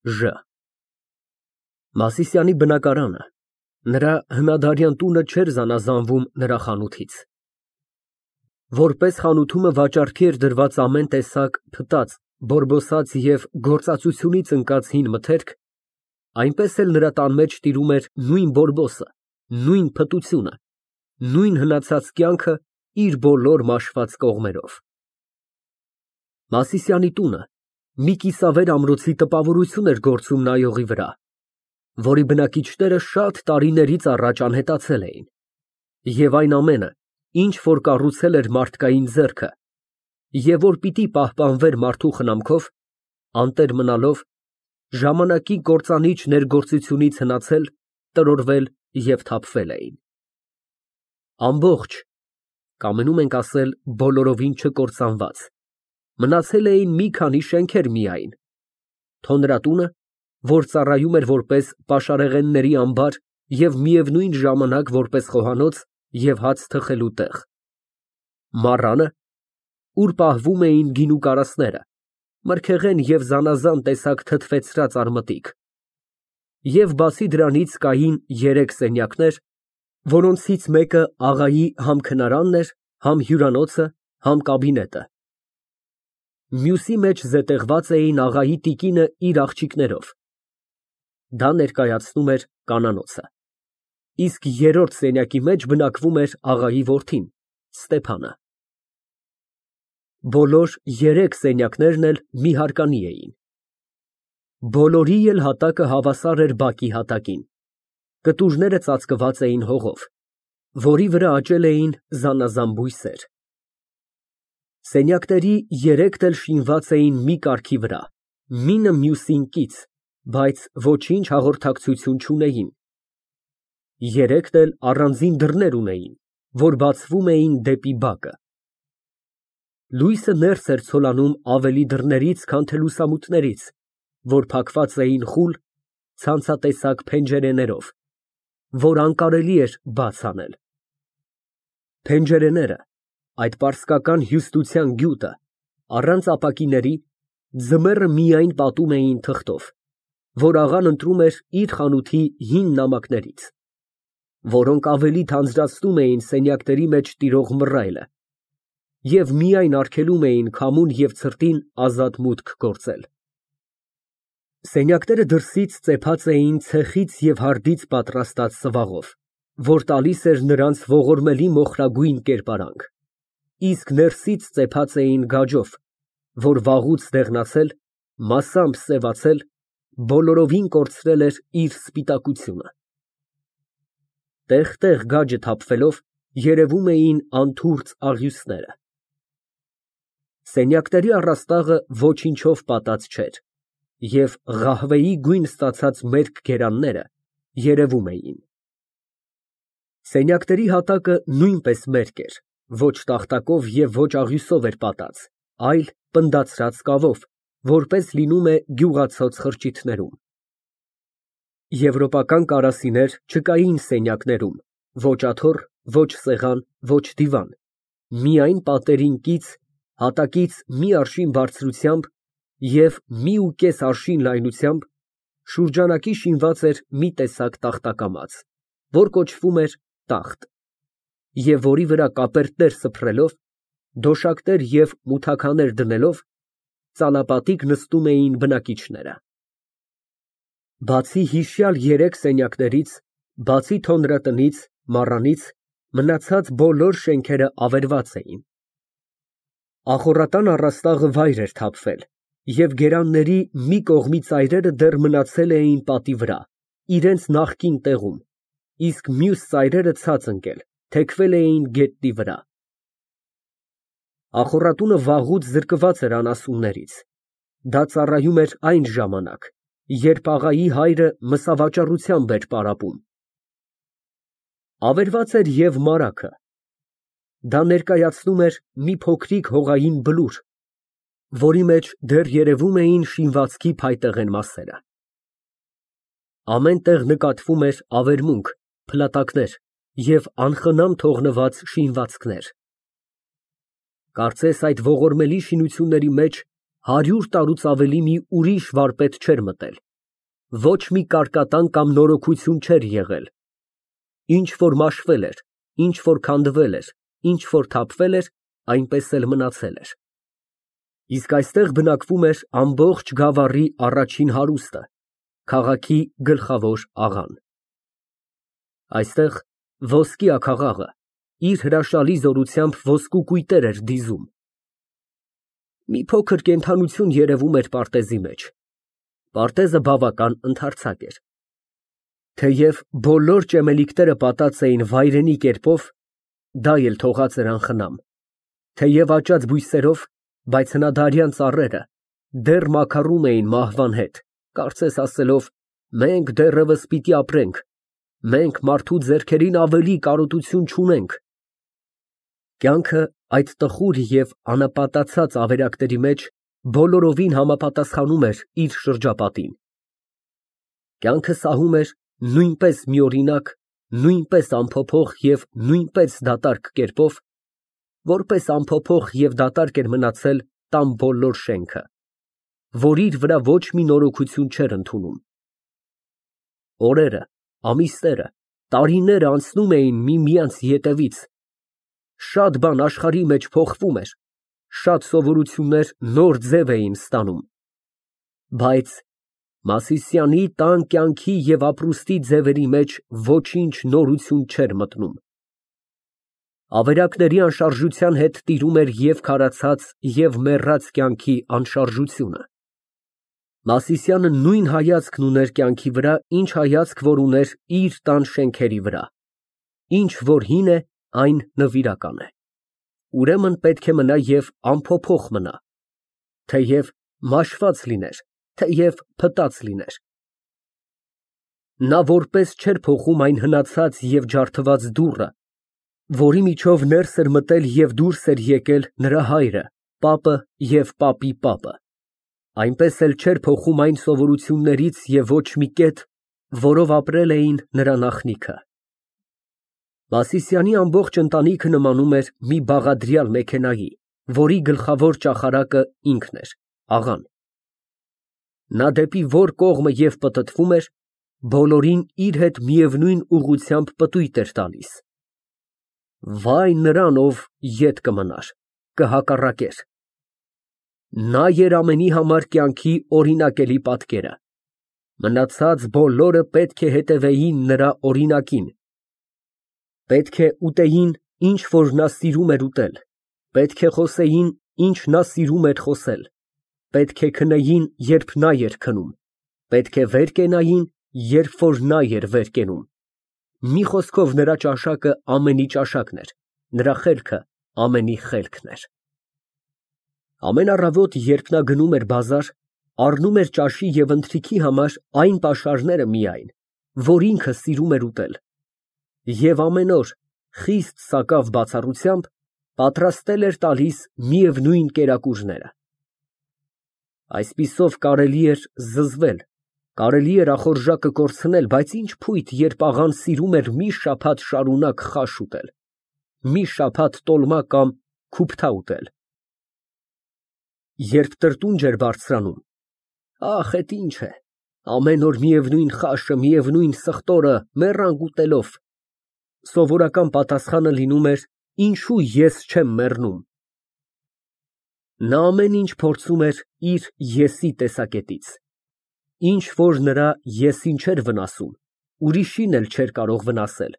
Ժ Մասիսյանի բնակարանը, նրա հնադարյան տունը չէր զանազանվում նրա խանութից։ Որպես խանութումը վաճառքի էր դրված ամեն տեսակ փտած, բորբոսած և գործածությունից ընկած հին մթերք, այնպես էլ նրա տան մեջ տիրում էր նույն բորբոսը, նույն փտությունը, նույն հնացած կյանքը իր բոլոր մաշված կողմերով։ Մասիսյանի տունը մի կիսավեր ամրոցի տպավորություն էր գործում նայողի վրա, որի բնակիչները շատ տարիներից առաջ անհետացել էին, և այն ամենը, ինչ որ կառուցել էր մարդկային ձեռքը, և որ պիտի պահպանվեր մարդու խնամքով, անտեր մնալով, ժամանակի կործանիչ ներգործությունից հնացել, տրորվել և թափվել էին։ Ամբողջ, կամենում ենք ասել բոլորովին չկործանված, մնացել էին մի քանի շենքեր միայն, թոնրատունը, որ ծառայում էր որպես պաշարեղենների ամբար և միևնույն ժամանակ որպես խոհանոց և հաց թխելու տեղ, մառանը, ուր պահվում էին գինու կարասները, մրգեղեն և զանազան տեսակ թթվեցրած արմատիկ, և բացի դրանից կային 3 սենյակներ, որոնցից մեկը աղայի համ քնարանն էր, համ հյուրանոցը, համ կաբինետը, մյուսի մեջ զետեղված էին աղայի տիկինը իր աղջիկներով, դա ներկայացնում էր կանանոցը, իսկ 3-րդ սենյակի մեջ բնակվում էր աղայի որդին Ստեփանը։ Բոլոր 3 սենյակներն էլ մի հարկանի էին։ Բոլորի էլ հատակը հավասար էր բակի հատակին, կտուրները ծածկված էին հողով, որի վրա աճել էին զանազան բույսեր։ Սենյակների 3-ն էլ շինված էին մի կարգի վրա, մինը մյուսին կից, բայց ոչինչ հաղորդակցություն չունեին։ 3-ն էլ առանձին դռներ ունեին, որ բացվում էին դեպի բակը։ Լույսը ներս էր ցոլանում ավելի դռներից, քան թե լուսամուտներից, որ փակված էին խուլ, ցանցատեսակ փենջերեներով, որ անկարելի էր բաց անել։ Փենջերեները, այդ պարսկական հյուստության գյուտը, առանց ապակիների, ձմեռը միայն պատում էին թղթով, որ աղան ընտրում էր իր խանութի հին նամակներից, որոնք ավելի թանձրացնում էին սենյակների մեջ տիրող մռայլը և միայն արգելում էին քամուն և ցրտին ազատ մուտք գործել։ Սենյակները դրսից ծեփած էին ցեխից և հարդից պատրաստած սվաղով, որ տալիս էր նրանց ողորմելի մոխրագույն կերպարանք, իսկ ներսից ծեփած էին գաջով, որ վաղուց դեղնացել, մասամբ սևացել, բոլորովին կորցրել էր իր սպիտակությունը։ Տեղ֊տեղ գաջը թափվելով, երևում էին անթուրծ աղյուսները։ Սենյակների առաստաղը ոչինչով պատած չէր, և ղահվեի գույն ստացած մերկ գերանները երևում էին։ Սենյակների հատակը նույնպես մերկ էր, ոչ տախտակով և ոչ աղյուսով էր պատած, այլ պնդացրած կավով, որպես լինում է գյուղացած խրճիթներում։ Եվրոպական կարասիներ չկային սենյակներում, ոչ աթոռ, ոչ սեղան, ոչ դիվան, միայն պատերին կից, հատակից մի արշին բարձրությամբ և 1.5 արշին լայնությամբ շուրջանակի շինված էր մի տեսակ տախտակամաց, որ կոչվում էր տախտ, և որի վրա կապերտներ սփռելով, դոշակներ և մութաքաներ դնելով, ծալապատիկ նստում էին բնակիչները։ Բացի հիշյալ 3 սենյակներից, բացի թոնրատնից, մառանից, մնացած բոլոր շենքերը ավերված էին։ Ախոռատան առաստաղը վայր էր թափվել, և գերանների մի կողմի ծայրերը դեռ մնացել էին պատի վրա, իրենց նախկին տեղում, իսկ մյուս ծայրերը ցած ընկել, թեքվել էին գետնի վրա։ Ախոռատունը վաղուց զրկված էր անասուններից, դա ծառայում էր այն ժամանակ, երբ աղայի հայրը մսավաճառությամբ էր պարապում։ Ավերված էր և մարագը, դա ներկայացնում էր մի փոքրիկ հողային բլուր, որի մեջ դեռ երևում էին շինվածքի փայտեղեն մասերը։ Ամեն տեղ նկատվում էր ավերմունք, փլատակներ և անխնամ թողնված շինվածքներ։ Կարծես այդ ողորմելի շինությունների մեջ 100 տարուց ավելի մի ուրիշ վարպետ չէր մտել Ոչ մի կարկատան կամ նորոգություն չէր եղել։ Ինչ որ մաշվել էր, ինչ որ քանդվել էր, ինչ որ թափվել էր, այնպես էլ մնացել էր։ Իսկ այստեղ բնակվում էր ամբողջ գավառի առաջին հարուստը, քաղաքի գլխավոր աղան։ Այստեղ ոսկի աքաղաղը իր հրաշալի զորությամբ ոսկու կույտեր էր դիզում։ Մի փոքր կենդանություն երևում էր պարտեզի մեջ։ Պարտեզը բավական ընդարձակ էր։ Թեև բոլոր ճեմելիքները պատած էին վայրենի կերպով, դա էլ թողած էր անխնամ։ Թեև աճած բույսերով, բայց հնադարյան ծառերը դեռ մաքարում էին մահվան հետ, կարծես ասելով. մենք դեռևս պիտի ապրենք, մենք մարդու ձեռքերին ավելի կարոտություն չունենք։ Կյանքը այդ տխուր և անապատացած ավերակների մեջ բոլորովին համապատասխանում էր իր շրջապատին։ Կյանքը սահում էր նույնպես միօրինակ, նույնպես անփոփոխ և նույնպես դատարկ կերպով, որպես անփոփոխ և դատարկ էր մնացել տան բոլոր շենքը, որ իր վրա ոչ մի նորոգություն չէր ընդունում։ Օրերը, ամիսները, տարիները անցնում էին միմյանց ետևից, շատ բան աշխարհի մեջ փոխվում էր, շատ սովորություններ նոր ձև էին ստանում, բայց Մասիսյանի տան կյանքի և ապրուստի ձևերի մեջ ոչինչ նորություն չէր մտնում։ Ավերակների անշարժության հետ տիրում էր և քարացած, և մեռած կյանքի անշարժությունը։ Մասիսյանը նույն հայացքն ուներ կյանքի վրա, ինչ հայացք որ ուներ իր տան շենքերի վրա. ինչ որ հին է, այն նվիրական է, ուրեմն պետք է մնա և անփոփոխ մնա, թեև մաշված լիներ, թեև փտած լիներ։ Նա որպես չէր փոխում այն հնացած և ջարդված դուռը, որի միջով ներս էր մտել և դուրս էր եկել նրա հայրը, պապը և պապի պապը, այնպես էլ չէր փոխում այն սովորություններից և ոչ մի կետ, որով ապրել էին նրա նախնիքը։ Մասիսյանի ամբողջ ընտանիքը նմանում էր մի բաղադրյալ մեքենայի, որի գլխավոր ճախարակը ինքն էր, աղան։ Նա դեպի որ կողմը և պտտվում էր, բոլորին իր հետ միևնույն ուղղությամբ պտույտ էր տալիս։ Վայ նրան, ով ետ կմնար, կհակառակեր։ Նա էր ամենի համար կյանքի օրինակելի պատկերը։ Մնացած բոլորը պետք է հետևեին նրա օրինակին։ Պետք է ուտեին, ինչ որ նա սիրում էր ուտել, պետք է խոսեին, ինչ նա սիրում էր խոսել, պետք է քնեին, երբ նա էր քնում, պետք է վեր կենային, երբ որ նա էր վեր կենում։ Մի խոսքով նրա ճաշակը ամենի ճաշակն էր, նրա խելքը ամենի խելքն էր։ Ամեն առավոտ, երբ նա գնում էր բազար, առնում էր ճաշի և ընթրիքի համար այն պաշարները միայն, որ ինքը սիրում էր ուտել, և ամեն օր, խիստ սակավ բացառությամբ, պատրաստել էր տալիս միևնույն կերակուրները։ Այսպիսով կարելի էր զզվել, կարելի էր ախորժակը կորցնել, բայց ինչ փույթ, երբ աղան սիրում էր մի շաբաթ շարունակ խաշ ուտել, մի շաբաթ տոլմա կամ քուփթա ուտել։ Երբ տրտունջ էր բարձրանում, ախ, էդ ինչ է, ամեն օր միևնույն խաշը, միևնույն սխտորը, մեռանք ուտելով, սովորական պատասխանը լինում էր. ինչու ես չեմ մեռնում։ Նա ամեն ինչ փորձում էր իր ես-ի տեսակետից, ինչ որ նրա ես֊ին չէր վնասում, ուրիշին էլ չէր կարող վնասել,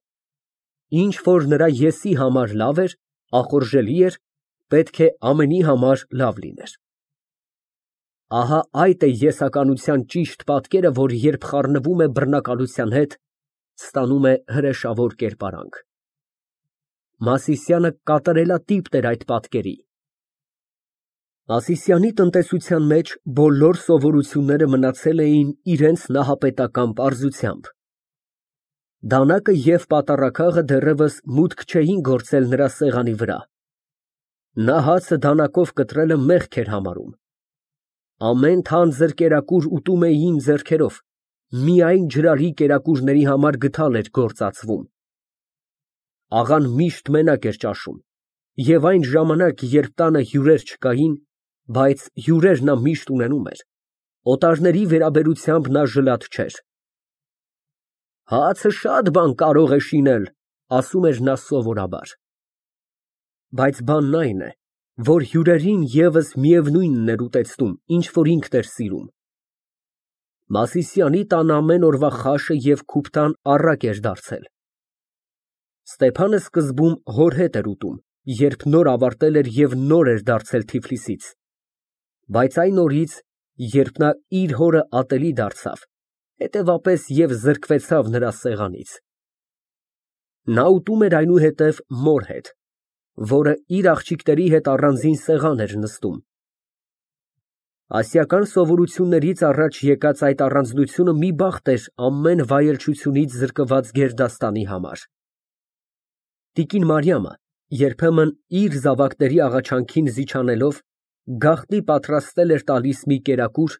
ինչ որ նրա ես-ի համար լավ էր, ախորժելի էր, պետք է ամենի համար լավ լիներ։ Ահա այդ է եսականության ճիշտ պատկերը, որ երբ խառնվում է բռնակալության հետ, ստանում է հրեշավոր կերպարանք։ Մասիսյանը կատարելատիպն էր այդ պատկերի։ Մասիսյանի տնտեսության մեջ բոլոր սովորությունները մնացել էին իրենց նահապետական պարզությամբ։ Դանակը և պատառաքաղը դեռևս մուտք չէին գործել նրա սեղանի վրա։ Նա հացը դանակով կտրելը մեղք էր համարում։ Ամեն թանձր կերակուր ուտում էին ձեռքերով, միայն ջրալի կերակուրների համար գդալ էր գործածվում։ Աղան միշտ մենակ էր ճաշում, և այն ժամանակ, երբ տանը հյուրեր չկային, բայց հյուրեր նա միշտ ունենում էր, Օտարների վերաբերությամբ նա ժլատ չէր։ Հացը շատ բան կարող է շինել, ասում էր նա սովորաբար։ Բայց բանն այն է, որ հյուրերին ևս միևնույնն էր ուտեցնում, ինչ որ ինքն էր սիրում։ Մասիսյանի տան ամեն օրվա խաշը և քուփթան առակ էր դարձել։ Ստեփանը սկզբում հոր հետ էր ուտում, երբ նոր ավարտել էր և նոր էր դարձել Թիֆլիսից, բայց այն օրից, երբ նա իր հորը ատելի դարձավ, հետևապես և զրկվեցավ նրա սեղանից։ Նա ուտում էր այնուհետև մոր հետ, որը իր աղջիկների հետ առանձին սեղան էր նստում։ Ասիական սովորություններից առաջ եկած այդ առանձնությունը մի բախտ էր ամեն վայելչությունից զրկված գերդաստանի համար։ Տիկին Մարիամը երբեմն իր զավակների աղաչանքին զիջանելով գաղտնի պատրաստել էր տալիս մի կերակուր,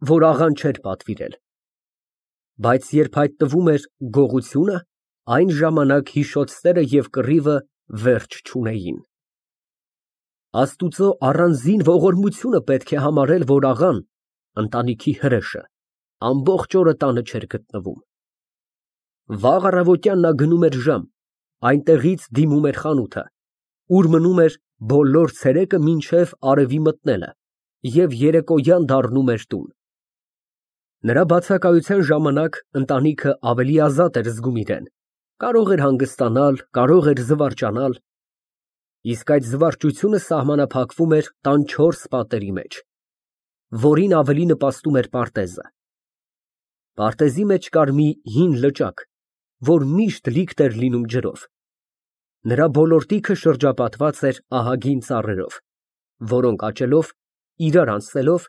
որ աղան չէր պատվիրել, բայց երբ հայտնվում էր գողությունը, այն ժամանակ հիշոցները և կռիվը վերջ չունեին։ Աստուծո առանձին ողորմությունը պետք է համարել, որ աղան, ընտանիքի հրեշը, ամբողջ օրը տանը չէր գտնվում։ Վաղ առավոտյան նա գնում էր ժամ, այնտեղից դիմում էր խանութը, ուր մնում էր բոլոր ցերեկը մինչև արևի մտնելը և երեկոյան դառնում էր տուն։ Նրա բացակայության ժամանակ ընտանիքը ավելի ազատ էր զգում իրեն, կարող էր հանգստանալ, կարող էր զվարճանալ, իսկ այդ զվարճությունը սահմանափակվում էր տան 4 պատերի մեջ, որին ավելի նպաստում էր պարտեզը։ Պարտեզի մեջ կար մի հին լճակ, որ միշտ լիքն էր լինում ջրով։ Նրա բոլորտիքը շրջապատված էր ահագին ծառերով, որոնք աճելով, իրար անցնելով,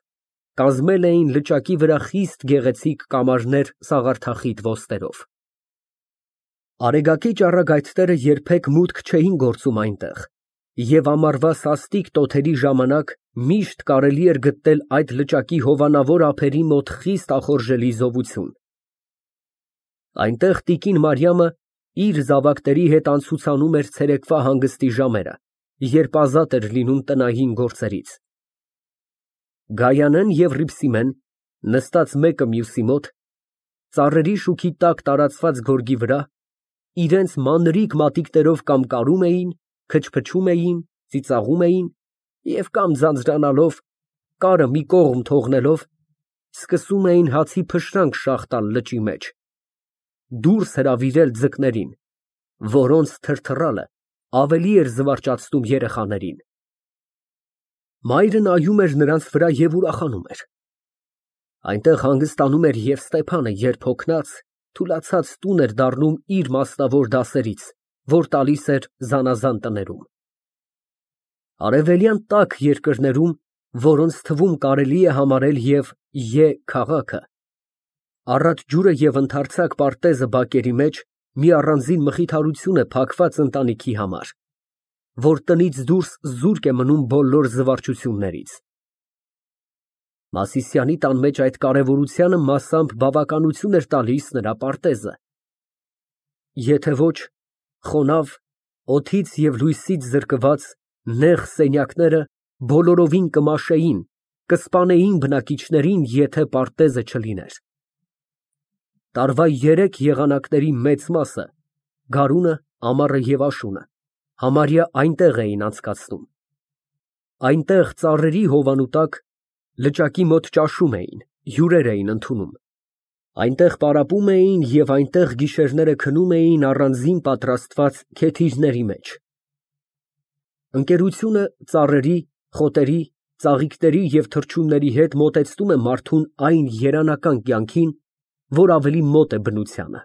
կազմել էին լճակի վրա խիստ գեղեցիկ կամարներ սաղարթախիտ ոսկերով։ Արեգակի ճառագայթները երբեք մուտք չէին գործում այնտեղ, և ամառվա սաստիկ տոթերի ժամանակ միշտ կարելի էր գտնել այդ լճակի հովանավոր ափերի մոտ խիստ ախորժելի զովություն։ Այնտեղ տիկին Մարիամը իր զավակների հետ անցուցանում էր ցերեկվա հանգստի ժամերը, երբ ազատ էր լինում տնային գործերից։ Գայանեն և Հռիփսիմեն, նստած մեկը մյուսի մոտ, ծառերի շուքի տակ տարածված գորգի վրա, իրենց մանրիկ մատիտներով կամ կարում էին, քչփչում էին, ծիծաղում էին և կամ ձանձրանալով, կարը մի կողմ թողնելով, սկսում էին հացի փշրանք շաղ տալ լճի մեջ, դուրս հրավիրել ձկներին, որոնց թրթռալը ավելի էր զվարճացնում երեխաներին։ Մայրը նայում էր նրանց վրա և ուրախանում էր։ Այնտեղ հանգստանում էր և Ստեփանը, երբ հոգնած, թուլացած տուն էր դառնում իր մասնավոր դասերից, որ տալիս էր զանազան տներում։ Արևելյան տաք երկրներում, որոնց թվում կարելի է համարել և Ե քաղաքը, առատ ջուրը և ընդարձակ պարտեզը բակերի մեջ մի առանձին մխիթարություն է փակված ընտանիքի համար, որ տնից դուրս զուրկ է մնում բոլոր զվարճություններից։ Մասիսյանի տան մեջ այդ կարևորությանը մասամբ բավականություն էր տալիս նրա պարտեզը։ Եթե ոչ, խոնավ, օդից և լույսից զրկված նեղ սենյակները բոլորովին կմաշեին, կսպանեին բնակիչներին, եթե պարտեզը չլիներ։ Տարվա 3 եղանակների մեծ մասը, գարունը, ամառը և աշունը, համարյա այնտեղ էին անցկացնում։ Այնտեղ ծառերի հովանու տակ, լճակի մոտ ճաշում էին, հյուրեր էին ընդունում։ Այնտեղ պարապում էին և այնտեղ գիշերները քնում էին առանձին պատրաստված քեթիրների մեջ։ Ընկերությունը ծառերի, խոտերի, ծաղիկների և թռչունների հետ մոտեցնում է մարդուն այն երանական կյանքին, որ ավելի մոտ է բնությանը։